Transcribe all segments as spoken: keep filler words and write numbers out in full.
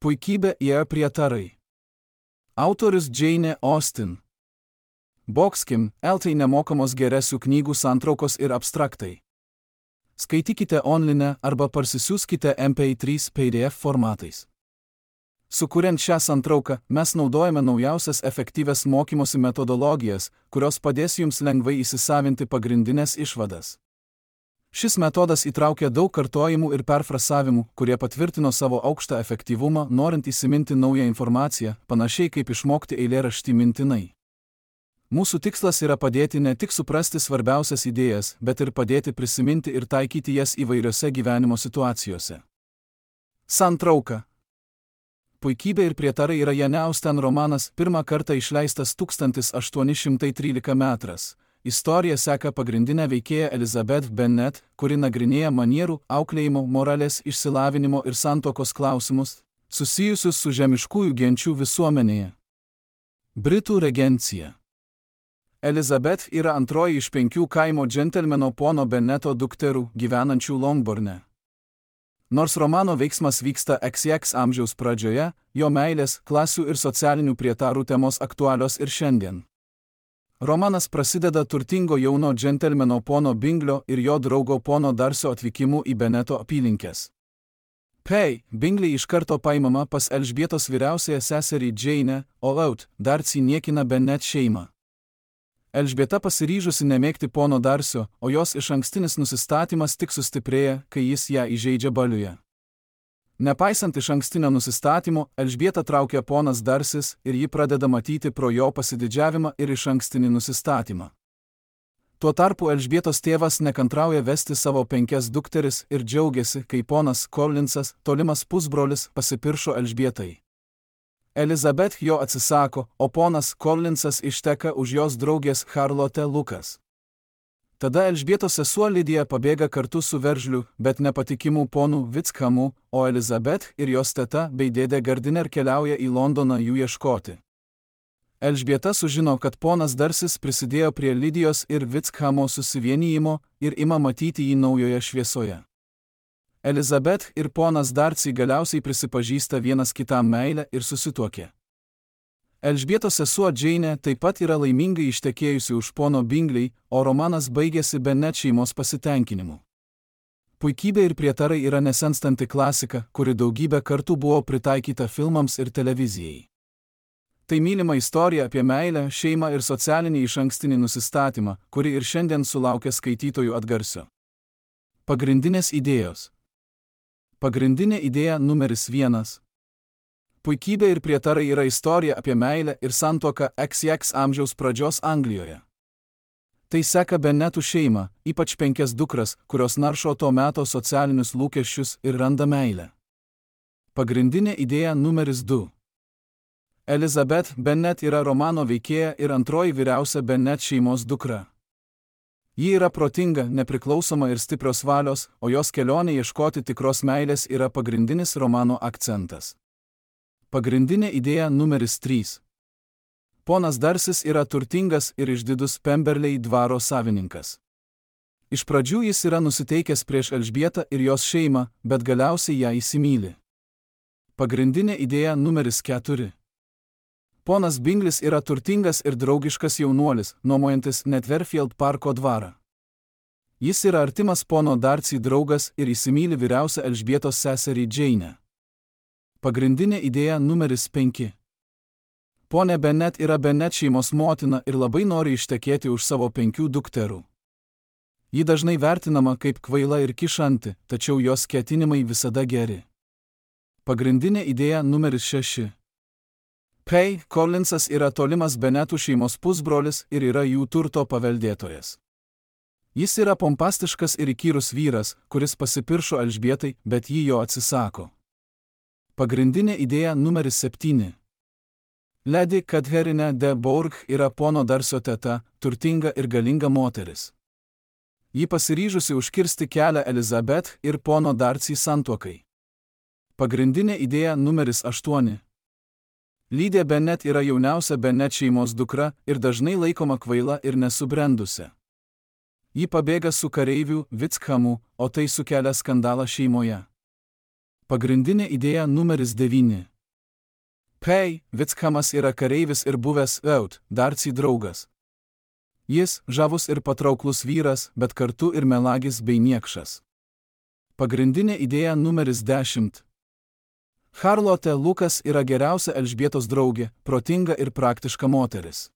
Puikybė ir prietarai. Autorius Jane Austen. Boxkim, eltai nemokamos geresių knygų santraukos ir abstraktai. Skaitykite online arba parsisiųskite M P trys P D F formatais. Sukuriant šią santrauką, mes naudojame naujausias efektyvias mokymosi metodologijas, kurios padės jums lengvai įsisavinti pagrindinės išvadas. Šis metodas įtraukia daug kartojimų ir perfrasavimų, kurie patvirtino savo aukštą efektyvumą, norint įsiminti naują informaciją, panašiai kaip išmokti eilėraštį mintinai. Mūsų tikslas yra padėti ne tik suprasti svarbiausias idėjas, bet ir padėti prisiminti ir taikyti jas įvairiose gyvenimo situacijose. Santrauka. Puikybė ir prietarai yra Jane Austen romanas, pirmą kartą išleistas tūkstantis aštuoni šimtai trylika metras. Istorija seka pagrindinę veikėją Elizabeth Bennet, kuri nagrinėja manierų, auklėjimo, moralės, išsilavinimo ir santuokos klausimus, susijusius su žemiškųjų genčių visuomenėje. Britų regencija. Elizabeth yra antroji iš penkių kaimo džentelmeno pono Benneto dukterų, gyvenančių Longbourne. Nors romano veiksmas vyksta X X amžiaus pradžioje, jo meilės, klasių ir socialinių prietarų temos aktualios ir šiandien. Romanas prasideda turtingo jauno džentelmeno pono Binglio ir jo draugo pono Darcio atvykimu į Benneto apylinkes. Pei, Bingley iš karto paimama pas Elžbietos vyriausiąją seserį Jane, o Out, Darcy niekina Bennet šeimą. Elžbieta pasiryžusi nemėgti pono Darcio, o jos išankstinis nusistatymas tik sustiprėja, kai jis ją įžeidžia baliuje. Nepaisant išankstinio nusistatymo, Elžbietą traukia ponas Darcis ir ji pradeda matyti pro jo pasididžiavimą ir išankstinį nusistatymą. Tuo tarpu Elžbietos tėvas nekantrauja vesti savo penkias dukteris ir džiaugiasi, kai ponas Collinsas, tolimas pusbrolis, pasipiršo Elžbietai. Elizabeth jo atsisako, o ponas Collinsas išteka už jos draugės Charlotte Lucas. Tada Elžbietos sesuo Lidija pabėga kartu su veržliu, bet nepatikimų ponų Wickham, o Elizabeth ir jos teta bei dėdė Gardiner keliauja į Londoną jų ieškoti. Elžbieta sužino, kad ponas Darcis prisidėjo prie Lidijos ir Wickhamo susivienijimo ir ima matyti jį naujoje šviesoje. Elizabeth ir ponas Darcy galiausiai prisipažįsta vienas kitam meilę ir susituokė. Elžbietos sesuo Jane taip pat yra laimingai ištekėjusi už pono Bingley, o romanas baigėsi Bennet šeimos pasitenkinimu. Puikybė ir prietarai yra nesenstanti klasika, kuri daugybę kartų buvo pritaikyta filmams ir televizijai. Tai mylima istorija apie meilę, šeimą ir socialinį išankstinį nusistatymą, kuri ir šiandien sulaukia skaitytojų atgarsio. Pagrindinės idėjos. Pagrindinė idėja numeris vienas. Puikybė ir prietarai yra istorija apie meilę ir santuoką X X amžiaus pradžios Anglijoje. Tai seka Bennetų šeimą, ypač penkias dukras, kurios naršo to meto socialinius lūkesčius ir randa meilę. Pagrindinė idėja numeris du. Elizabeth Bennet yra romano veikėja ir antroji vyriausia Bennet šeimos dukra. Ji yra protinga, nepriklausoma ir stiprios valios, o jos kelionė ieškoti tikros meilės yra pagrindinis romano akcentas. Pagrindinė idėja numeris trys. Ponas Darcis yra turtingas ir išdidus Pemberley dvaro savininkas. Iš pradžių jis yra nusiteikęs prieš Elžbietą ir jos šeimą, bet galiausiai ją įsimyli. Pagrindinė idėja numeris keturi. Ponas Binglis yra turtingas ir draugiškas jaunuolis, nuomojantis Netherfield parko dvarą. Jis yra artimas pono Darcy draugas ir įsimyli vyriausią Elžbietos seserį Jane. Pagrindinė idėja numeris penki. Ponė Bennet yra Bennet šeimos motina ir labai nori ištekėti už savo penkių dukterų. Ji dažnai vertinama kaip kvaila ir kišanti, tačiau jos ketinimai visada geri. Pagrindinė idėja numeris šeši. Pei, Collinsas yra tolimas Bennetų šeimos pusbrolis ir yra jų turto paveldėtojas. Jis yra pompastiškas ir įkyrus vyras, kuris pasipiršo Elžbietai, bet ji jo atsisako. Pagrindinė idėja numeris septyni. Lady Catherine de Bourgh yra pono Darcio teta, turtinga ir galinga moteris. Ji pasiryžusi užkirsti kelią Elizabeth ir pono Darcy santuokai. Pagrindinė idėja numeris aštuoni. Lydia Bennet yra jauniausia Bennet šeimos dukra ir dažnai laikoma kvaila ir nesubrendusi. Ji pabėga su kareiviu Wickhamu, o tai sukelia skandalą šeimoje. Pagrindinė idėja numeris devyni. P. Vickhamas yra kareivis ir buvęs Eut, Darcy draugas. Jis žavus ir patrauklus vyras, bet kartu ir melagis bei niekšas. Pagrindinė idėja numeris dešimt. Charlotte Lucas yra geriausia Elžbietos draugė, protinga ir praktiška moteris.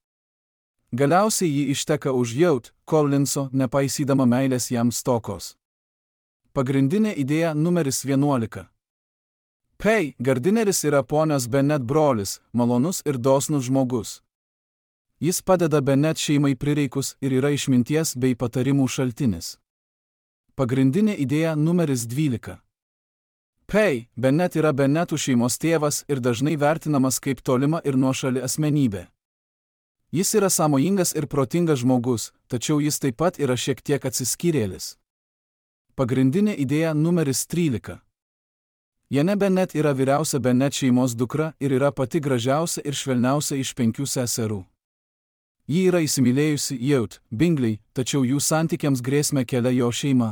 Galiausiai ji išteka už Eut, Collinso, nepaisydama meilės jam stokos. Pagrindinė idėja numeris vienuolika. P. Gardineris yra ponios Bennet brolis, malonus ir dosnus žmogus. Jis padeda Bennet šeimai prireikus ir yra išminties bei patarimų šaltinis. Pagrindinė idėja numeris dvylika. P. Bennet yra Bennetų šeimos tėvas ir dažnai vertinamas kaip tolima ir nuošali asmenybė. Jis yra sąmojingas ir protingas žmogus, tačiau jis taip pat yra šiek tiek atsiskyrėlis. Pagrindinė idėja numeris trylika. Jane Bennet yra vyriausia Bennet šeimos dukra ir yra pati gražiausia ir švelniausia iš penkių seserų. Ji yra įsimylėjusi Eut, Bingley, tačiau jų santykiams grėsmę kelia jo šeima.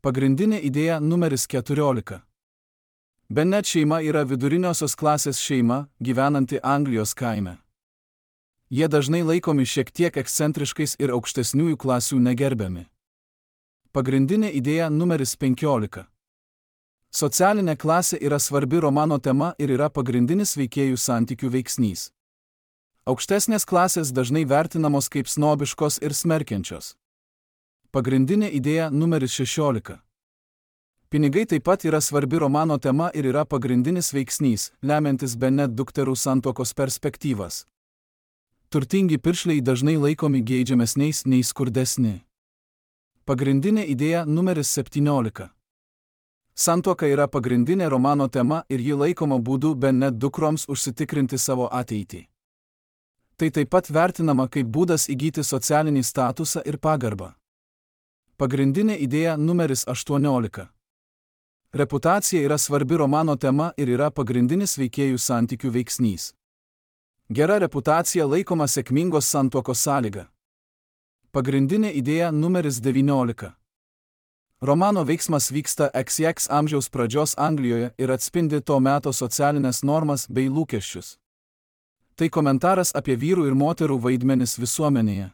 Pagrindinė idėja numeris keturiolika. Bennet šeima yra viduriniosios klasės šeima, gyvenanti Anglijos kaime. Jie dažnai laikomi šiek tiek ekscentriškais ir aukštesniųjų klasių negerbiami. Pagrindinė idėja numeris penkiolika. Socialinė klasė yra svarbi romano tema ir yra pagrindinis veikėjų santykių veiksnys. Aukštesnės klasės dažnai vertinamos kaip snobiškos ir smerkiančios. Pagrindinė idėja numeris šešiolika. Pinigai taip pat yra svarbi romano tema ir yra pagrindinis veiksnys, lemiantis Bennet dukterų santuokos perspektyvas. Turtingi piršliai dažnai laikomi geidžiamesniais nei skurdesni. Pagrindinė idėja numeris septyniolika. Santuoka yra pagrindinė romano tema ir ji laikoma būdu Bennet dukroms užsitikrinti savo ateitį. Tai taip pat vertinama kaip būdas įgyti socialinį statusą ir pagarbą. Pagrindinė idėja numeris aštuoniolika. Reputacija yra svarbi romano tema ir yra pagrindinis veikėjų santykių veiksnys. Gera reputacija laikoma sėkmingos santuokos sąlyga. Pagrindinė idėja numeris devyniolika. Romano veiksmas vyksta X X amžiaus pradžios Anglijoje ir atspindi to meto socialinės normas bei lūkesčius. Tai komentaras apie vyrų ir moterų vaidmenis visuomenėje.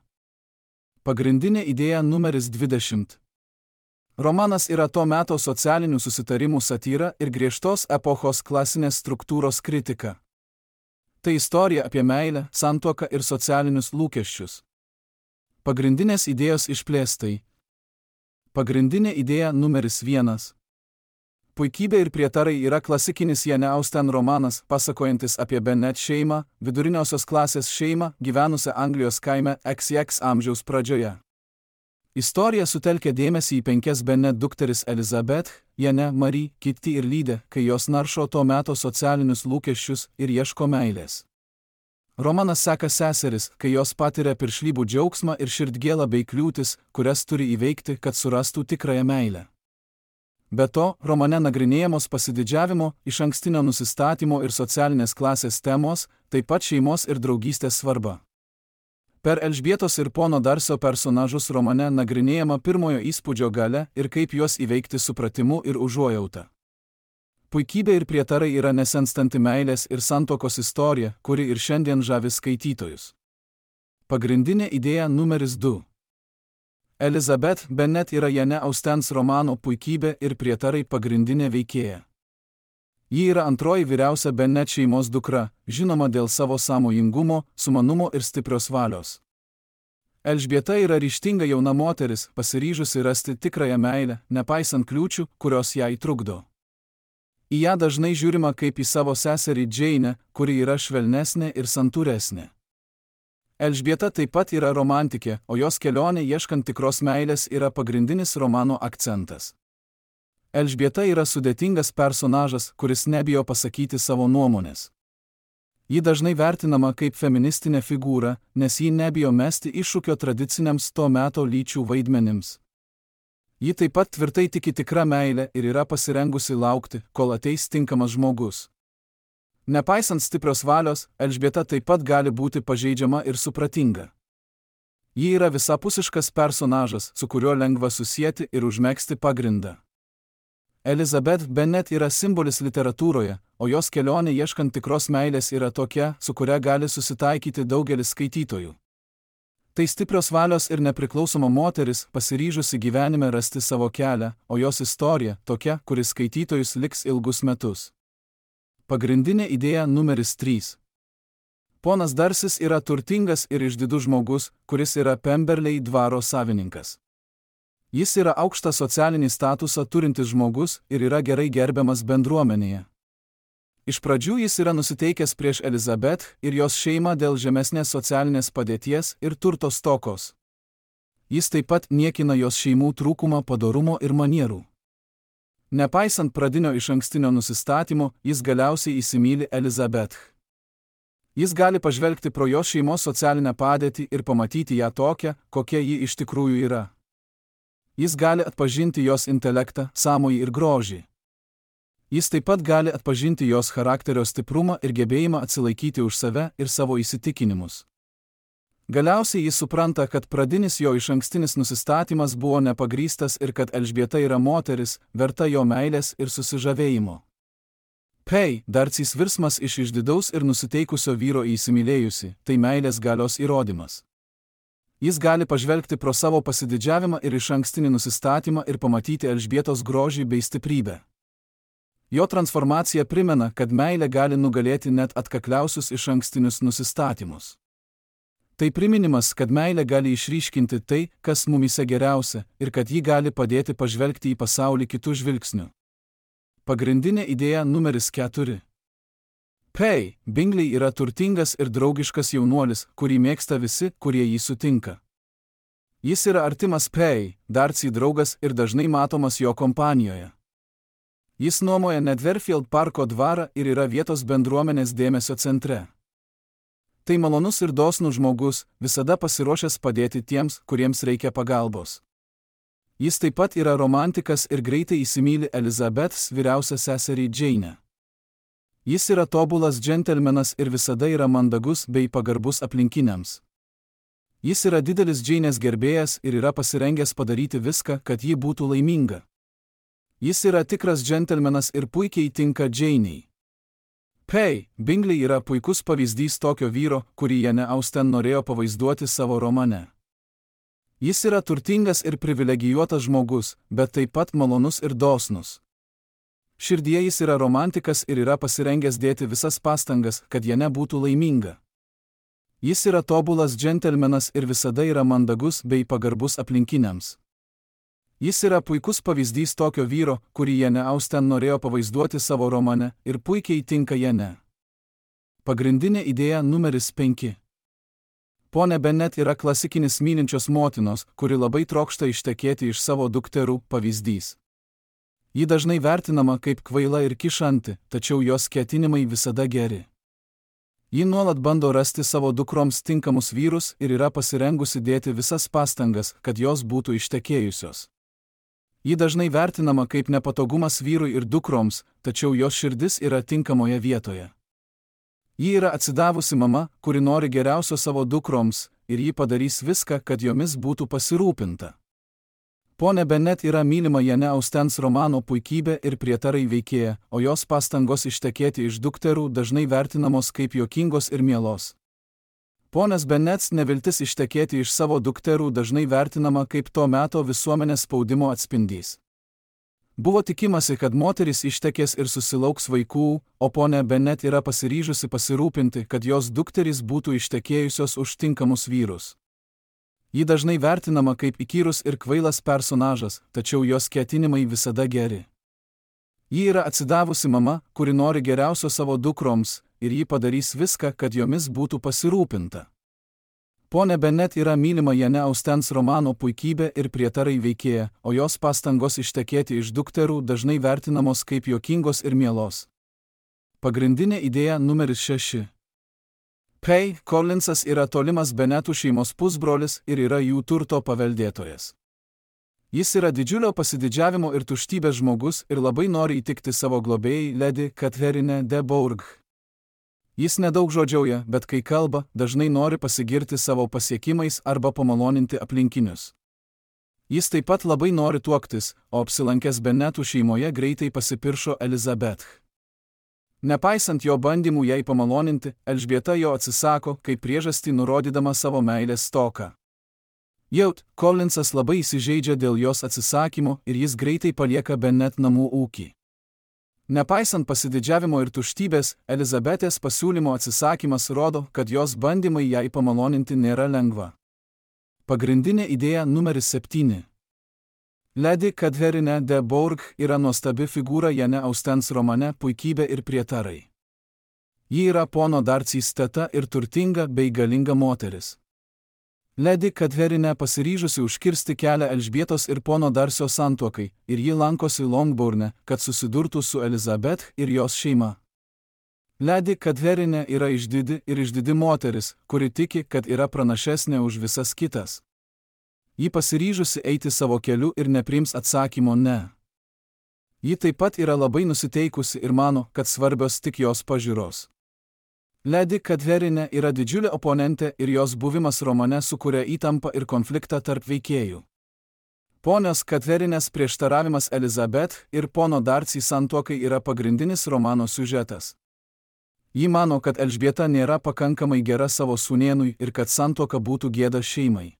Pagrindinė idėja numeris dvidešimt. Romanas yra to meto socialinių susitarimų satyra ir griežtos epochos klasinės struktūros kritika. Tai istorija apie meilę, santuoką ir socialinius lūkesčius. Pagrindinės idėjos išplėstai. Pagrindinė idėja numeris vienas. Puikybė ir prietarai yra klasikinis Jane Austen romanas, pasakojantis apie Bennet šeimą, viduriniosios klasės šeimą, gyvenusią Anglijos kaime X X amžiaus pradžioje. Istorija sutelkia dėmesį į penkias Bennet dukteris Elizabeth, Jane, Marie, Kitty ir Lydę, kai jos naršo to meto socialinius lūkesčius ir ieško meilės. Romanas seka seseris, kai jos patiria piršlybų džiaugsmą ir širdgėlą bei kliūtis, kurias turi įveikti, kad surastų tikrąją meilę. Be to, romane nagrinėjamos pasididžiavimo, išankstinio nusistatymo ir socialinės klasės temos, taip pat šeimos ir draugystės svarba. Per Elžbietos ir pono Darcio personažus romane nagrinėjama pirmojo įspūdžio galia ir kaip juos įveikti supratimu ir užuojauta. Puikybė ir prietarai yra nesenstanti meilės ir santuokos istorija, kuri ir šiandien žavi skaitytojus. Pagrindinė idėja numeris du. Elizabeth Bennet yra Jane Austens romano Puikybė ir prietarai pagrindinė veikėja. Ji yra antroji vyriausia Bennet šeimos dukra, žinoma dėl savo sąmojingumo, sumanumo ir stiprios valios. Elžbieta yra ryžtinga jauna moteris, pasiryžusi rasti tikrąją meilę, nepaisant kliūčių, kurios jai trukdo. Į ją dažnai žiūrima kaip į savo seserį Jane, kuri yra švelnesnė ir santūresnė. Elžbieta taip pat yra romantikė, o jos kelionė ieškant tikros meilės yra pagrindinis romano akcentas. Elžbieta yra sudėtingas personažas, kuris nebijo pasakyti savo nuomonės. Ji dažnai vertinama kaip feministinė figūra, nes ji nebijo mesti iššūkio tradiciniams to meto lyčių vaidmenims. Ji taip pat tvirtai tiki tikrą meilę ir yra pasirengusi laukti, kol ateis tinkamas žmogus. Nepaisant stiprios valios, Elžbieta taip pat gali būti pažeidžiama ir supratinga. Ji yra visapusiškas personažas, su kuriuo lengva susieti ir užmegzti pagrindą. Elizabeth Bennet yra simbolis literatūroje, o jos kelionė ieškant tikros meilės yra tokia, su kuria gali susitaikyti daugelis skaitytojų. Tai stiprios valios ir nepriklausoma moteris, pasiryžusi gyvenime rasti savo kelią, o jos istorija tokia, kuris skaitytojus liks ilgus metus. Pagrindinė idėja numeris trys. Ponas Darsis yra turtingas ir išdidus žmogus, kuris yra Pemberley dvaro savininkas. Jis yra aukštą socialinį statusą turintis žmogus ir yra gerai gerbiamas bendruomenėje. Iš pradžių jis yra nusiteikęs prieš Elizabeth ir jos šeimą dėl žemesnės socialinės padėties ir turto stokos. Jis taip pat niekina jos šeimų trūkumą padorumo ir manierų. Nepaisant pradinio išankstinio nusistatymo, jis galiausiai įsimyli Elizabeth. Jis gali pažvelgti pro jos šeimos socialinę padėtį ir pamatyti ją tokią, kokia ji iš tikrųjų yra. Jis gali atpažinti jos intelektą, sąmojį ir grožį. Jis taip pat gali atpažinti jos charakterio stiprumą ir gebėjimą atsilaikyti už save ir savo įsitikinimus. Galiausiai jis supranta, kad pradinis jo išankstinis nusistatymas buvo nepagrįstas ir kad Elžbieta yra moteris, verta jo meilės ir susižavėjimo. Pei, Darcys virsmas iš išdidaus ir nusiteikusio vyro į įsimylėjusi, tai meilės galios įrodymas. Jis gali pažvelgti pro savo pasididžiavimą ir išankstinį nusistatymą ir pamatyti Elžbietos grožį bei stiprybę. Jo transformacija primena, kad meilė gali nugalėti net atkakliausius išankstinius nusistatymus. Tai priminimas, kad meilė gali išryškinti tai, kas mumyse geriausia, ir kad ji gali padėti pažvelgti į pasaulį kitų žvilgsnių. Pagrindinė idėja numeris keturi. Pei, Bingley yra turtingas ir draugiškas jaunuolis, kurį mėgsta visi, kurie jį sutinka. Jis yra artimas Pei, Darcy draugas ir dažnai matomas jo kompanijoje. Jis nuomoja Netherfield parko dvarą ir yra vietos bendruomenės dėmesio centre. Tai malonus ir dosnus žmogus, visada pasiruošęs padėti tiems, kuriems reikia pagalbos. Jis taip pat yra romantikas ir greitai įsimyli Elizabeth's vyriausią seserį Jane. Jis yra tobulas džentelmenas ir visada yra mandagus bei pagarbus aplinkiniams. Jis yra didelis Jane's gerbėjas ir yra pasirengęs padaryti viską, kad ji būtų laiminga. Jis yra tikras džentelmenas ir puikiai tinka Janei. Pei, Bingley yra puikus pavyzdys tokio vyro, kurį Jane Austen norėjo pavaizduoti savo romane. Jis yra turtingas ir privilegijuotas žmogus, bet taip pat malonus ir dosnus. Širdyje jis yra romantikas ir yra pasirengęs dėti visas pastangas, kad Jane būtų laiminga. Jis yra tobulas džentelmenas ir visada yra mandagus bei pagarbus aplinkiniams. Jis yra puikus pavyzdys tokio vyro, kurį Jane Austen norėjo pavaizduoti savo romane ir puikiai tinka Jane. Pagrindinė idėja numeris penki. Ponė Bennet yra klasikinis mylinčios motinos, kuri labai trokšta ištekėti iš savo dukterų pavyzdys. Ji dažnai vertinama kaip kvaila ir kišanti, tačiau jos ketinimai visada geri. Ji nuolat bando rasti savo dukroms tinkamus vyrus ir yra pasirengusi dėti visas pastangas, kad jos būtų ištekėjusios. Ji dažnai vertinama kaip nepatogumas vyrui ir dukroms, tačiau jos širdis yra tinkamoje vietoje. Ji yra atsidavusi mama, kuri nori geriausio savo dukroms, ir ji padarys viską, kad jomis būtų pasirūpinta. Ponė Bennet yra mylima Jane Austens romano puikybė ir prietarai veikėja, o jos pastangos ištekėti iš dukterų dažnai vertinamos kaip juokingos ir mielos. Ponas Bennets neviltis ištekėti iš savo dukterų dažnai vertinama kaip to meto visuomenės spaudimo atspindys. Buvo tikimasi, kad moteris ištekės ir susilauks vaikų, o ponė Bennet yra pasiryžusi pasirūpinti, kad jos dukterys būtų ištekėjusios už tinkamus vyrus. Ji dažnai vertinama kaip įkyrus ir kvailas personažas, tačiau jos ketinimai visada geri. Ji yra atsidavusi mama, kuri nori geriausio savo dukroms, ir ji padarys viską, kad jomis būtų pasirūpinta. Ponė Bennet yra mylima Jane Austens romano puikybė ir prietarai veikėja, o jos pastangos ištekėti iš dukterų dažnai vertinamos kaip juokingos ir mielos. Pagrindinė idėja numeris šeši. Pei, Collinsas yra tolimas Bennetų šeimos pusbrolis ir yra jų turto paveldėtojas. Jis yra didžiulio pasididžiavimo ir tuštybės žmogus ir labai nori įtikti savo globėjai Lady Catherine de Bourgh. Jis nedaug žodžiauja, bet kai kalba, dažnai nori pasigirti savo pasiekimais arba pamaloninti aplinkinius. Jis taip pat labai nori tuoktis, o apsilankęs Bennetų šeimoje greitai pasipiršo Elizabeth. Nepaisant jo bandymų jai pamaloninti, Elžbieta jo atsisako, kaip priežastį nurodydama savo meilės stoką. Jaut, Collinsas labai įsižeidžia dėl jos atsisakymo ir jis greitai palieka Bennet namų ūkį. Nepaisant pasididžiavimo ir tuštybės, Elizabetės pasiūlymo atsisakymas rodo, kad jos bandymai jai pamaloninti nėra lengva. Pagrindinė idėja numeris septyni. Lady Catherine de Bourgh yra nuostabi figūra Jane Austens romane Puikybė ir prietarai. Ji yra pono Darcys teta ir turtinga bei galinga moteris. Lady Catherine pasiryžusi užkirsti kelią Elžbietos ir pono Darcio santuokai, ir ji lankosi Longbourne, kad susidurtų su Elizabeth ir jos šeima. Lady Catherine yra išdidi ir išdidi moteris, kuri tiki, kad yra pranašesnė už visas kitas. Ji pasiryžusi eiti savo keliu ir nepriims atsakymo ne. Ji taip pat yra labai nusiteikusi ir mano, kad svarbios tik jos pažiūros. Lady Catherine yra didžiulė oponentė ir jos buvimas romane sukuria įtampą ir konfliktą tarp veikėjų. Ponios Catherinės prieštaravimas Elizabeth ir pono Darcy santuokai yra pagrindinis romano siužetas. Ji mano, kad Elžbieta nėra pakankamai gera savo sūnėnui ir kad santuoka būtų gėda šeimai.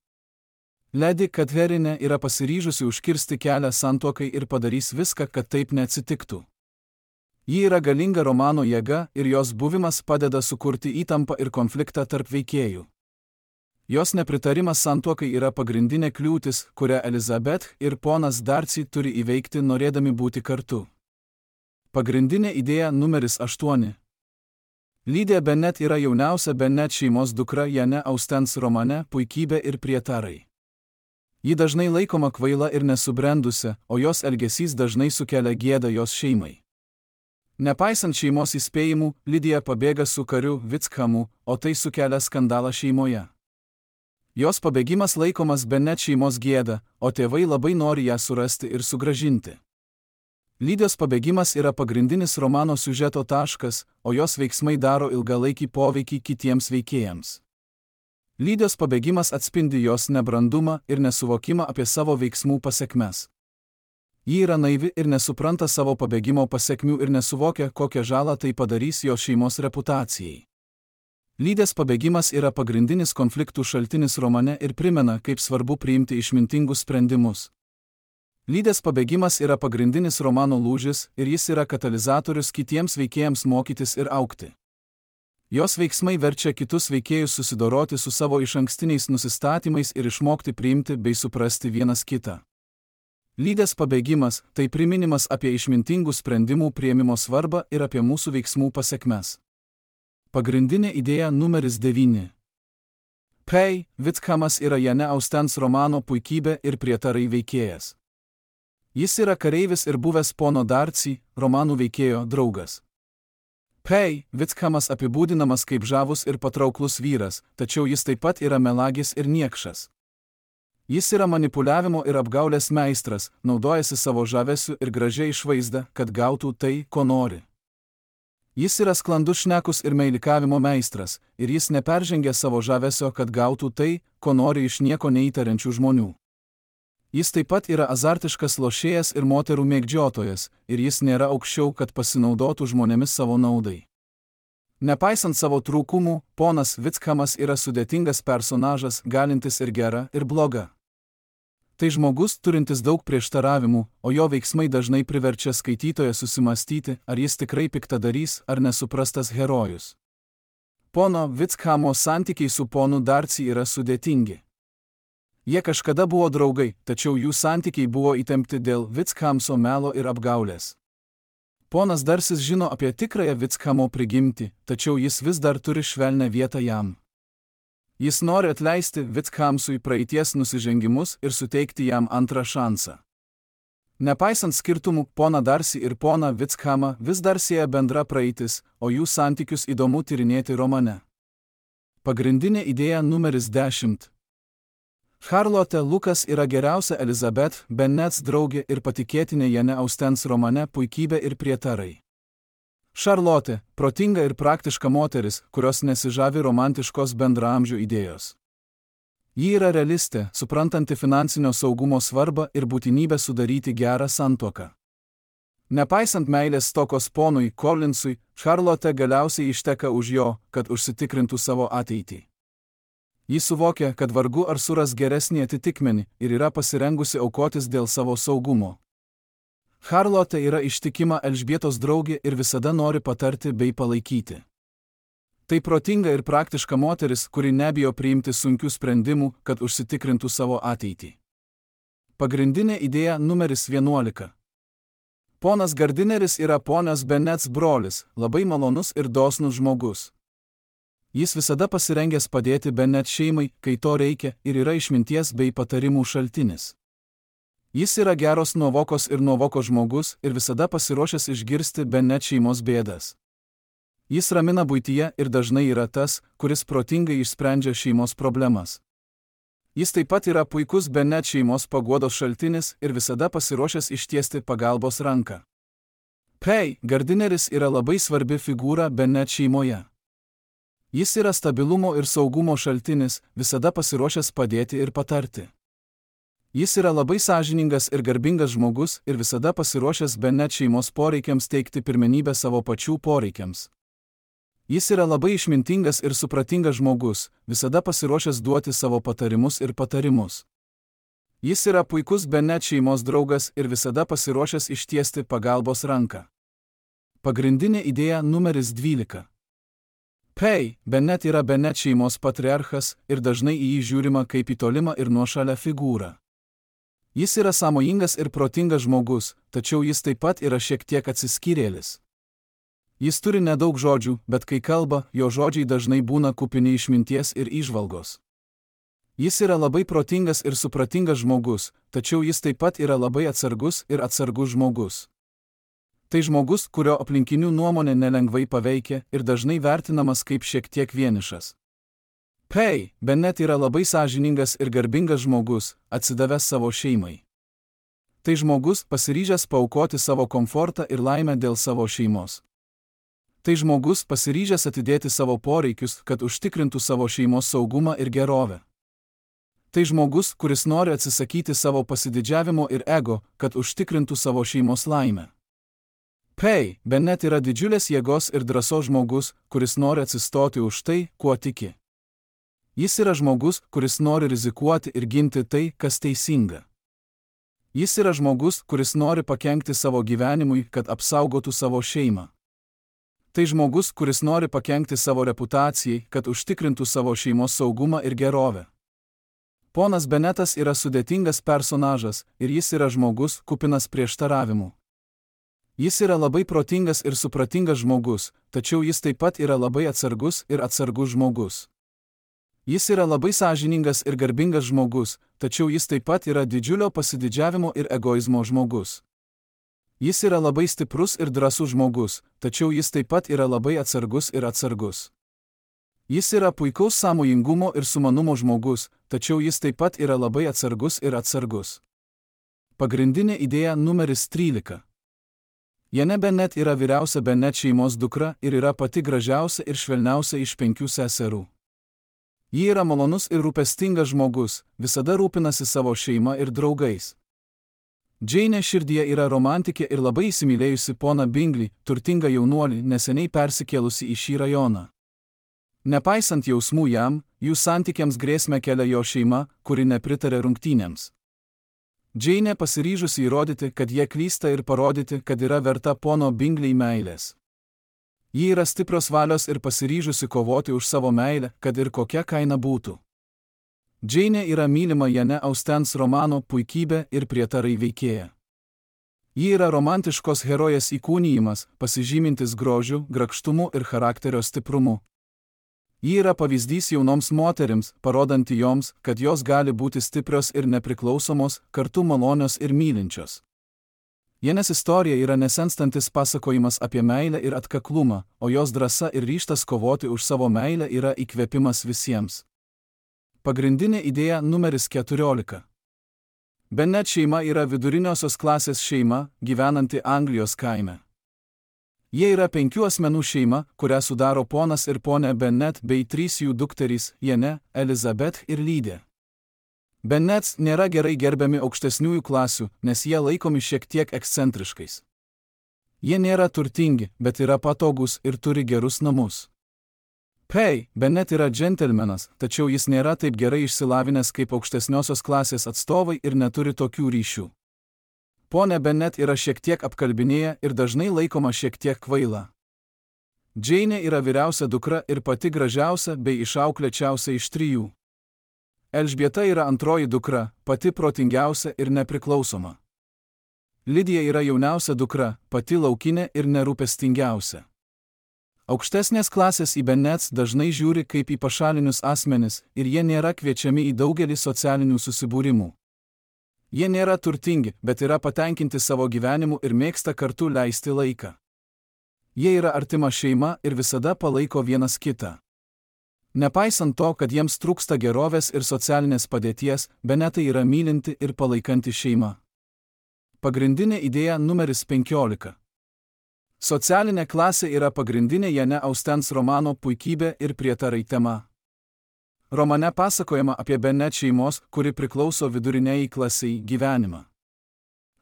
Lady Catherine yra pasiryžusi užkirsti kelią santuokai ir padarys viską, kad taip neatsitiktų. Ji yra galinga romano jėga ir jos buvimas padeda sukurti įtampą ir konfliktą tarp veikėjų. Jos nepritarimas santuokai yra pagrindinė kliūtis, kurią Elizabeth ir ponas Darcy turi įveikti norėdami būti kartu. Pagrindinė idėja numeris aštuoni. Lydia Bennet yra jauniausia Bennet šeimos dukra Jane Austens romane Puikybė ir prietarai. Ji dažnai laikoma kvaila ir nesubrendusi, o jos elgesys dažnai sukelia gėdą jos šeimai. Nepaisant šeimos įspėjimų, Lidija pabėga su kariu Wickham, o tai sukelia skandalą šeimoje. Jos pabėgimas laikomas Bennet šeimos gėda, o tėvai labai nori ją surasti ir sugrąžinti. Lydijos pabėgimas yra pagrindinis romano siužeto taškas, o jos veiksmai daro ilgalaikį poveikį kitiems veikėjams. Lydijos pabėgimas atspindi jos nebrandumą ir nesuvokimą apie savo veiksmų pasekmes. Ji yra naivi ir nesupranta savo pabėgimo pasekmių ir nesuvokia, kokią žalą tai padarys jos šeimos reputacijai. Lydijos pabėgimas yra pagrindinis konfliktų šaltinis romane ir primena, kaip svarbu priimti išmintingus sprendimus. Lydijos pabėgimas yra pagrindinis romano lūžis ir jis yra katalizatorius kitiems veikėjams mokytis ir augti. Jos veiksmai verčia kitus veikėjus susidoroti su savo išankstiniais nusistatymais ir išmokti priimti bei suprasti vienas kitą. Lydijos pabėgimas – tai priminimas apie išmintingų sprendimų priėmimo svarbą ir apie mūsų veiksmų pasekmes. Pagrindinė idėja numeris devyni. Pei Wickhamas yra Jane Austens romano Puikybė ir prietarai veikėjas. Jis yra kareivis ir buvęs pono Darcy, romanų veikėjo draugas. Pei Wickhamas apibūdinamas kaip žavus ir patrauklus vyras, tačiau jis taip pat yra melagis ir niekšas. Jis yra manipuliavimo ir apgaulės meistras, naudojasi savo žavesiu ir gražia išvaizda, kad gautų tai, ko nori. Jis yra sklandus šnekus ir meilikavimo meistras, ir jis neperžengia savo žavesio, kad gautų tai, ko nori iš nieko neįtariančių žmonių. Jis taip pat yra azartiškas lošėjas ir moterų mėgdžiotojas, ir jis nėra aukščiau, kad pasinaudotų žmonėmis savo naudai. Nepaisant savo trūkumų, ponas Wickhamas yra sudėtingas personažas, galintis ir gera, ir bloga. Tai žmogus turintis daug prieštaravimų, o jo veiksmai dažnai priverčia skaitytoją susimastyti, ar jis tikrai piktadarys ar nesuprastas herojus. Pono Wickhamo santykiai su ponu Darcy yra sudėtingi. Jie kažkada buvo draugai, tačiau jų santykiai buvo įtempti dėl Wickhamso melo ir apgaulės. Ponas Darcys žino apie tikrąją Wickhamo prigimtį, tačiau jis vis dar turi švelnią vietą jam. Jis nori atleisti Wickhamsui praeities nusižengimus ir suteikti jam antrą šansą. Nepaisant skirtumų, pona Darcy ir pona Wickhamą vis dar sieja bendra praeitis, o jų santykius įdomu tyrinėti romane. Pagrindinė idėja numeris dešimt. Charlotte Lucas yra geriausia Elizabeth Bennets draugė ir patikėtinė Jane Austens romane Puikybė ir prietarai. Charlotte – protinga ir praktiška moteris, kurios nesižavi romantiškos bendraamžių idėjos. Ji yra realistė, suprantanti finansinio saugumo svarbą ir būtinybę sudaryti gerą santuoką. Nepaisant meilės stokos ponui Collinsui, Charlotte galiausiai išteka už jo, kad užsitikrintų savo ateitį. Ji suvokia, kad vargu ar suras geresnį atitikmenį ir yra pasirengusi aukotis dėl savo saugumo. Charlotte yra ištikima Elžbietos draugė ir visada nori patarti bei palaikyti. Tai protinga ir praktiška moteris, kuri nebijo priimti sunkių sprendimų, kad užsitikrintų savo ateitį. Pagrindinė idėja numeris vienuolika. Ponas Gardineris yra ponios Bennets brolis, labai malonus ir dosnus žmogus. Jis visada pasirengęs padėti Bennet šeimai, kai to reikia, ir yra išminties bei patarimų šaltinis. Jis yra geros nuovokos ir nuovokos žmogus ir visada pasiruošęs išgirsti Bennet šeimos bėdas. Jis ramina buityje ir dažnai yra tas, kuris protingai išsprendžia šeimos problemas. Jis taip pat yra puikus Bennet šeimos paguodos šaltinis ir visada pasiruošęs ištiesti pagalbos ranką. Pei, Gardineris yra labai svarbi figūra Bennet šeimoje. Jis yra stabilumo ir saugumo šaltinis, visada pasiruošęs padėti ir patarti. Jis yra labai sąžiningas ir garbingas žmogus ir visada pasiruošęs Bennet šeimos poreikiams teikti pirmenybę savo pačių poreikiams. Jis yra labai išmintingas ir supratingas žmogus, visada pasiruošęs duoti savo patarimus ir patarimus. Jis yra puikus Bennet šeimos draugas ir visada pasiruošęs ištiesti pagalbos ranką. Pagrindinė idėja numeris dvylika. Pei, Bennet yra Bennet šeimos patriarchas ir dažnai į jį žiūrima kaip į tolimą ir nuošalę figūrą. Jis yra sąmojingas ir protingas žmogus, tačiau jis taip pat yra šiek tiek atsiskyrėlis. Jis turi nedaug žodžių, bet kai kalba, jo žodžiai dažnai būna kupini išminties ir įžvalgos. Jis yra labai protingas ir supratingas žmogus, tačiau jis taip pat yra labai atsargus ir atsargus žmogus. Tai žmogus, kurio aplinkinių nuomonė nelengvai paveikia ir dažnai vertinamas kaip šiek tiek vienišas. Pei, Bennet yra labai sąžiningas ir garbingas žmogus, atsidavęs savo šeimai. Tai žmogus, pasiryžęs paaukoti savo komfortą ir laimę dėl savo šeimos. Tai žmogus, pasiryžęs atidėti savo poreikius, kad užtikrintų savo šeimos saugumą ir gerovę. Tai žmogus, kuris nori atsisakyti savo pasididžiavimo ir ego, kad užtikrintų savo šeimos laimę. Pei, Bennet yra didžiulės jėgos ir drąsos žmogus, kuris nori atsistoti už tai, kuo tiki. Jis yra žmogus, kuris nori rizikuoti ir ginti tai, kas teisinga. Jis yra žmogus, kuris nori pakenkti savo gyvenimui, kad apsaugotų savo šeimą. Tai žmogus, kuris nori pakenkti savo reputacijai, kad užtikrintų savo šeimos saugumą ir gerovę. Ponas Bennetas yra sudėtingas personažas ir jis yra žmogus, kupinas prieštaravimų. Jis yra labai protingas ir supratingas žmogus, tačiau jis taip pat yra labai atsargus ir atsargus žmogus. Jis yra labai sąžiningas ir garbingas žmogus, tačiau jis taip pat yra didžiulio pasididžiavimo ir egoizmo žmogus. Jis yra labai stiprus ir drąsus žmogus, tačiau jis taip pat yra labai atsargus ir atsargus. Jis yra puikaus sąmojingumo ir sumanumo žmogus, tačiau jis taip pat yra labai atsargus ir atsargus. Pagrindinė idėja numeris trylika. Jane Bennet yra vyriausia Bennet šeimos dukra ir yra pati gražiausia ir švelniausia iš penkių seserų. Ji yra malonus ir rūpestingas žmogus, visada rūpinasi savo šeima ir draugais. Džeinė širdyje yra romantikė ir labai įsimylėjusi poną Bingley, turtingą jaunuolį, neseniai persikėlusi į šį rajoną. Nepaisant jausmų jam, jų santykiams grėsmę kelia jo šeima, kuri nepritarė rungtynėms. Džeinė pasiryžusi įrodyti, kad jie klysta ir parodyti, kad yra verta pono Bingley meilės. Ji yra stiprios valios ir pasiryžusi kovoti už savo meilę, kad ir kokia kaina būtų. Džeinė yra mylima Jane Austens romano puikybė ir prietarai veikėja. Ji yra romantiškos herojės įkūnijimas, pasižymintis grožiu, grakštumu ir charakterio stiprumu. Ji yra pavyzdys jaunoms moterims, parodanti joms, kad jos gali būti stiprios ir nepriklausomos, kartu malonios ir mylinčios. Janės istorija yra nesenstantis pasakojimas apie meilę ir atkaklumą, o jos drąsa ir ryžtas kovoti už savo meilę yra įkvėpimas visiems. Pagrindinė idėja numeris keturiolika. Bennet šeima yra viduriniosios klasės šeima, gyvenanti Anglijos kaime. Jie yra penkių asmenų šeima, kurią sudaro ponas ir ponė Bennet bei trys jų dukterys Jane, Elizabeth ir Lydė. Bennets nėra gerai gerbiami aukštesniųjų klasių, nes jie laikomi šiek tiek ekscentriškais. Jie nėra turtingi, bet yra patogūs ir turi gerus namus. Pei, Bennet yra džentelmenas, tačiau jis nėra taip gerai išsilavinęs kaip aukštesniosios klasės atstovai ir neturi tokių ryšių. Pone Bennet yra šiek tiek apkalbinėja ir dažnai laikoma šiek tiek kvaila. Džeinė yra vyriausia dukra ir pati gražiausia bei išauklėčiausia iš trijų. Elžbieta yra antroji dukra, pati protingiausia ir nepriklausoma. Lidija yra jauniausia dukra, pati laukinė ir nerūpestingiausia. Aukštesnės klasės į Bennets dažnai žiūri kaip į pašalinius asmenis ir jie nėra kviečiami į daugelį socialinių susibūrimų. Jie nėra turtingi, bet yra patenkinti savo gyvenimu ir mėgsta kartu leisti laiką. Jie yra artima šeima ir visada palaiko vienas kitą. Nepaisant to, kad jiems trūksta gerovės ir socialinės padėties, Bennetai yra mylinti ir palaikanti šeima. Pagrindinė idėja numeris penkiolika. Socialinė klasė yra pagrindinė Jane Austens romano Puikybė ir prietarai tema. Romane pasakojama apie Bennet šeimos, kuri priklauso viduriniajai klasiai, gyvenimą.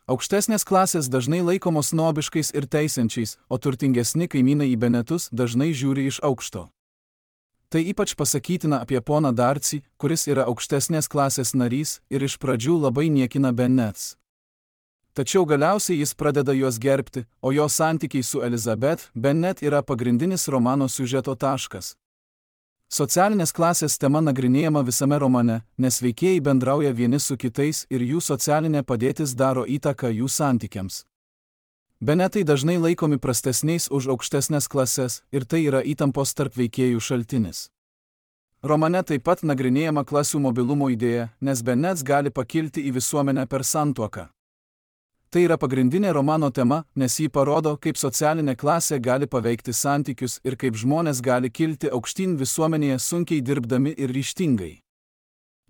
Aukštesnės klasės dažnai laikomos snobiškais ir teisiančiais, o turtingesni kaimynai į Bennetus dažnai žiūri iš aukšto. Tai ypač pasakytina apie poną Darcy, kuris yra aukštesnės klasės narys ir iš pradžių labai niekina Bennets. Tačiau galiausiai jis pradeda juos gerbti, o jo santykiai su Elizabeth Bennet yra pagrindinis romano siužeto taškas. Socialinės klasės tema nagrinėjama visame romane, nes veikėjai bendrauja vieni su kitais ir jų socialinė padėtis daro įtaką jų santykiams. Bennetai dažnai laikomi prastesniais už aukštesnės klases ir tai yra įtampos tarp veikėjų šaltinis. Romane taip pat nagrinėjama klasių mobilumo idėja, nes Bennets gali pakilti į visuomenę per santuoką. Tai yra pagrindinė romano tema, nes jį parodo, kaip socialinė klasė gali paveikti santykius ir kaip žmonės gali kilti aukštyn visuomenėje sunkiai dirbdami ir ryžtingai.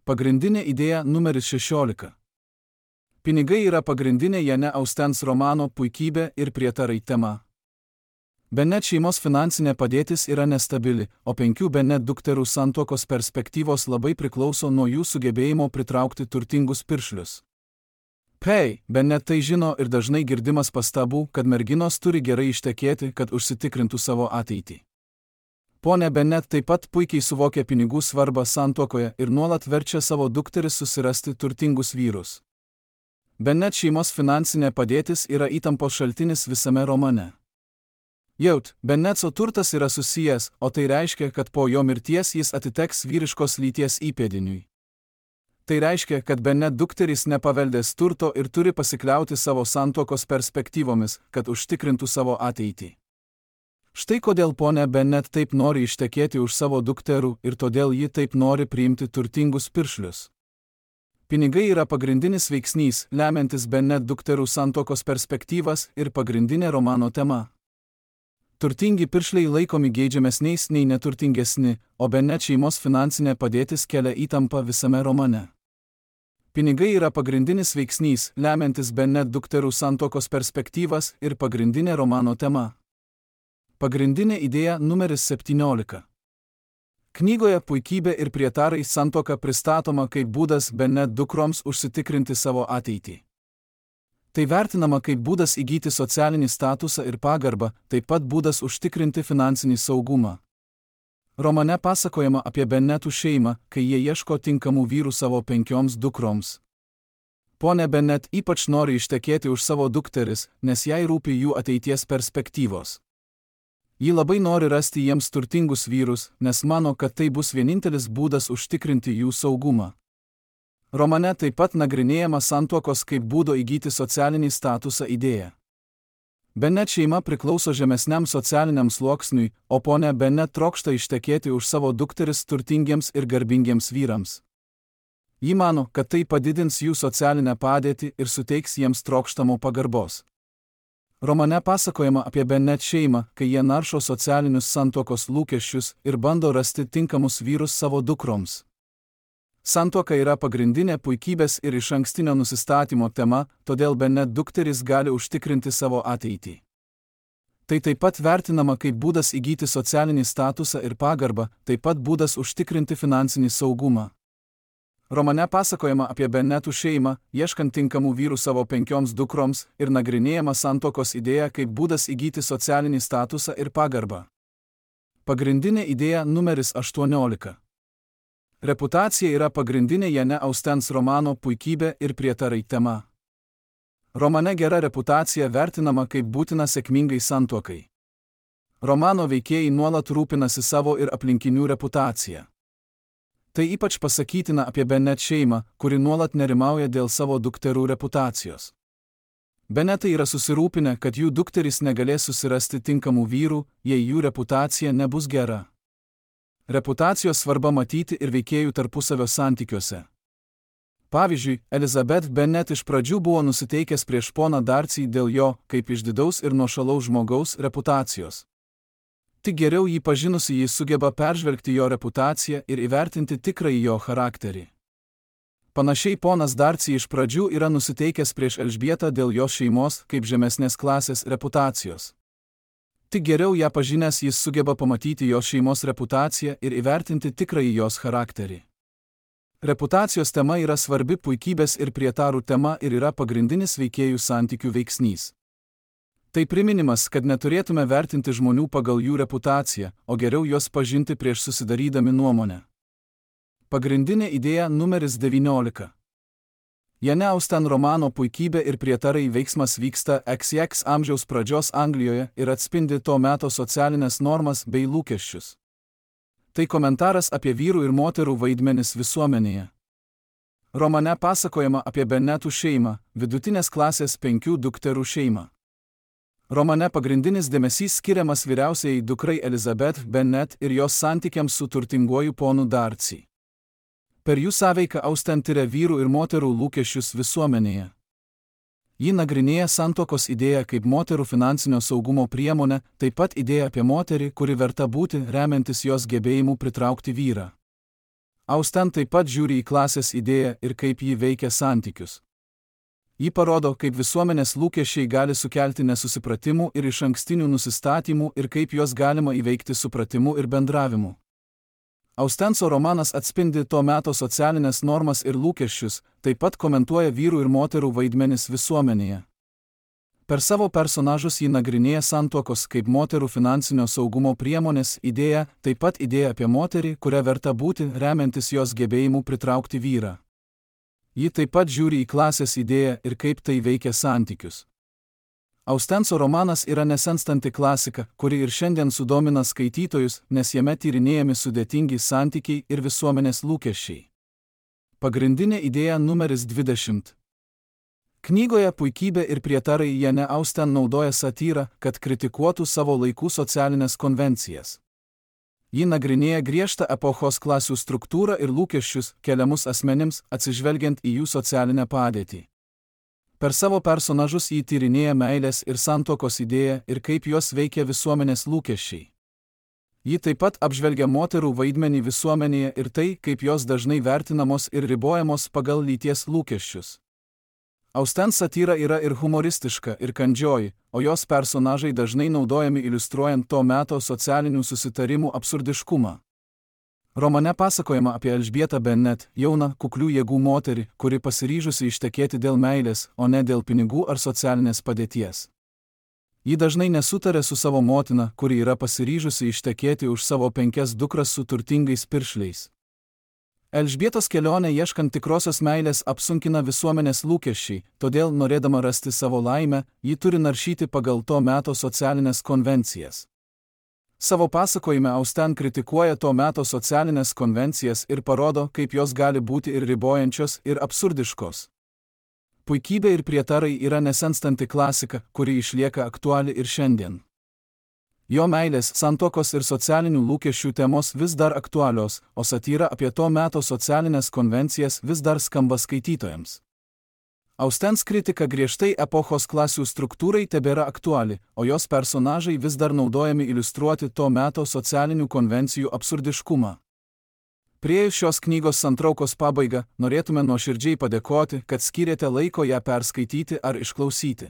Pagrindinė idėja numeris šešiolika. Pinigai yra pagrindinė Jane Austens romano Puikybė ir prietarai tema. Bennet šeimos finansinė padėtis yra nestabili, o penkių Bennet dukterų santuokos perspektyvos labai priklauso nuo jų sugebėjimo pritraukti turtingus piršlius. Pei, Bennet tai žino ir dažnai girdimas pastabų, kad merginos turi gerai ištekėti, kad užsitikrintų savo ateitį. Pone Bennet taip pat puikiai suvokia pinigų svarbą santuokoje ir nuolat verčia savo dukteris susirasti turtingus vyrus. Bennet šeimos finansinė padėtis yra įtampos šaltinis visame romane. Jaut, Bennetso turtas yra susijęs, o tai reiškia, kad po jo mirties jis atiteks vyriškos lyties įpėdiniui. Tai reiškia, kad Bennet dukterys nepaveldės turto ir turi pasikliauti savo santuokos perspektyvomis, kad užtikrintų savo ateitį. Štai kodėl ponia Bennet taip nori ištekėti už savo dukterų ir todėl ji taip nori priimti turtingus piršlius. Pinigai yra pagrindinis veiksnys, lemiantis Bennet dukterų santuokos perspektyvas ir pagrindinė romano tema. Turtingi piršliai laikomi geidžiamesniais nei neturtingesni, o Bennet šeimos finansinė padėtis kelia įtampą visame romane. Pinigai yra pagrindinis veiksnys, lemiantis Bennet dukterų santuokos perspektyvas ir pagrindinė romano tema. Pagrindinė idėja numeris septyniolika. Knygoje Puikybė ir prietarai santuoka pristatoma kaip būdas Bennet dukroms užsitikrinti savo ateitį. Tai vertinama kaip būdas įgyti socialinį statusą ir pagarbą, taip pat būdas užtikrinti finansinį saugumą. Romane pasakojama apie Bennetų šeimą, kai jie ieško tinkamų vyrų savo penkioms dukroms. Pone Bennet ypač nori ištekėti už savo dukteris, nes jai rūpi jų ateities perspektyvos. Ji labai nori rasti jiems turtingus vyrus, nes mano, kad tai bus vienintelis būdas užtikrinti jų saugumą. Romane taip pat nagrinėjama santuokos kaip būdo įgyti socialinį statusą idėja. Bennet šeima priklauso žemesniam socialiniam sluoksniui, o ponia Bennet trokšta ištekėti už savo dukteris turtingiems ir garbingiems vyrams. Ji mano, kad tai padidins jų socialinę padėtį ir suteiks jiems trokštamo pagarbos. Romane pasakojama apie Bennet šeimą, kai jie naršo socialinius santuokos lūkesčius ir bando rasti tinkamus vyrus savo dukroms. Santuoka yra pagrindinė puikybės ir išankstinio nusistatymo tema, todėl Bennet dukteris gali užtikrinti savo ateitį. Tai taip pat vertinama kaip būdas įgyti socialinį statusą ir pagarbą, taip pat būdas užtikrinti finansinį saugumą. Romane pasakojama apie Bennetų šeimą, ieškant tinkamų vyrų savo penkioms dukroms ir nagrinėjama santuokos idėja kaip būdas įgyti socialinį statusą ir pagarbą. Pagrindinė idėja numeris aštuoniolika. Reputacija yra pagrindinė Jane Austens romano Puikybė ir prietarai tema. Romane gera reputacija vertinama kaip būtina sėkmingai santuokai. Romano veikėjai nuolat rūpinasi savo ir aplinkinių reputaciją. Tai ypač pasakytina apie Bennet šeimą, kuri nuolat nerimauja dėl savo dukterų reputacijos. Bennetai yra susirūpinę, kad jų dukterys negalės susirasti tinkamų vyrų, jei jų reputacija nebus gera. Reputacijos svarba matyti ir veikėjų tarpusavio santykiuose. Pavyzdžiui, Elizabeth Bennet iš pradžių buvo nusiteikęs prieš poną Darcy dėl jo, kaip išdidaus ir nuošalaus žmogaus, reputacijos. Tik geriau jį pažinusi jis sugeba peržvelgti jo reputaciją ir įvertinti tikrąjį jo charakterį. Panašiai ponas Darcy iš pradžių yra nusiteikęs prieš Elžbietą dėl jos šeimos kaip žemesnės klasės reputacijos. Tik geriau ją pažinęs jis sugeba pamatyti jos šeimos reputaciją ir įvertinti tikrąjį jos charakterį. Reputacijos tema yra svarbi puikybės ir prietarų tema ir yra pagrindinis veikėjų santykių veiksnys. Tai priminimas, kad neturėtume vertinti žmonių pagal jų reputaciją, o geriau juos pažinti prieš susidarydami nuomonę. Pagrindinė idėja numeris devyniolika. Jane Austen romano Puikybė ir prietarai veiksmas vyksta X X amžiaus pradžios Anglijoje ir atspindi to meto socialinės normas bei lūkesčius. Tai komentaras apie vyrų ir moterų vaidmenis visuomenėje. Romane pasakojama apie Bennetų šeimą, vidutinės klasės penkių dukterų šeimą. Romane pagrindinis dėmesys skiriamas vyriausiai dukrai Elizabeth Bennet ir jos santykiams su turtinguoju ponu Darcy. Per jų sąveiką Austen tiria vyrų ir moterų lūkesčius visuomenėje. Ji nagrinėja santuokos idėją kaip moterų finansinio saugumo priemonę, taip pat idėją apie moterį, kuri verta būti remiantis jos gebėjimu pritraukti vyrą. Austen taip pat žiūri į klasės idėją ir kaip ji veikia santykius. Ji parodo, kaip visuomenės lūkesčiai gali sukelti nesusipratimų ir išankstinių nusistatymų ir kaip juos galima įveikti supratimu ir bendravimu. Austenso romanas atspindi to meto socialinės normas ir lūkesčius, taip pat komentuoja vyrų ir moterų vaidmenis visuomenėje. Per savo personažus ji nagrinėja santuokos kaip moterų finansinio saugumo priemonės idėją, taip pat idėją apie moterį, kurią verta būti remiantis jos gebėjimu pritraukti vyrą. Ji taip pat žiūri į klasės idėją ir kaip tai veikia santykius. Austenso romanas yra nesenstanti klasika, kuri ir šiandien sudomina skaitytojus, nes jame tyrinėjami sudėtingi santykiai ir visuomenės lūkesčiai. Pagrindinė idėja numeris dvidešimt. Knygoje Puikybė ir prietarai Jane Austen naudoja satyrą, kad kritikuotų savo laikų socialinės konvencijas. Ji nagrinėja griežtą epochos klasių struktūrą ir lūkesčius keliamus asmenims, atsižvelgiant į jų socialinę padėtį. Per savo personažus ji tyrinėja meilės ir santuokos idėją ir kaip jos veikia visuomenės lūkesčiai. Ji taip pat apžvelgia moterų vaidmenį visuomenėje ir tai, kaip jos dažnai vertinamos ir ribojamos pagal lyties lūkesčius. Austen satyra yra ir humoristiška, ir kandžioji, o jos personažai dažnai naudojami iliustruojant to meto socialinių susitarimų absurdiškumą. Romane pasakojama apie Elžbietą Bennet, jauną, kuklių jėgų moterį, kuri pasiryžusi ištekėti dėl meilės, o ne dėl pinigų ar socialinės padėties. Ji dažnai nesutarė su savo motina, kuri yra pasiryžusi ištekėti už savo penkias dukras su turtingais piršliais. Elžbietos kelionė ieškant tikrosios meilės apsunkina visuomenės lūkesčiai, todėl norėdama rasti savo laimę, ji turi naršyti pagal to meto socialinės konvencijas. Savo pasakojime Austen kritikuoja to meto socialinės konvencijas ir parodo, kaip jos gali būti ir ribojančios, ir absurdiškos. Puikybė ir prietarai yra nesenstanti klasika, kuri išlieka aktuali ir šiandien. Jo meilės, santuokos ir socialinių lūkesčių temos vis dar aktualios, o satyra apie to meto socialinės konvencijas vis dar skamba skaitytojams. Austens kritika griežtai epochos klasių struktūrai tebėra aktuali, o jos personažai vis dar naudojami iliustruoti to meto socialinių konvencijų absurdiškumą. Priėjus šios knygos santraukos pabaigą, norėtume nuoširdžiai padėkoti, kad skyrėte laiko ją perskaityti ar išklausyti.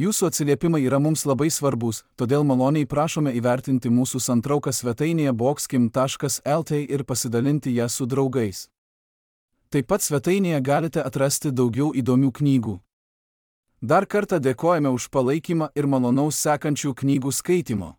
Jūsų atsiliepimai yra mums labai svarbus, todėl maloniai prašome įvertinti mūsų santrauką svetainėje boxkim taškas lt ir pasidalinti ją su draugais. Taip pat svetainėje galite atrasti daugiau įdomių knygų. Dar kartą dėkojame už palaikymą ir malonaus sekančių knygų skaitimo.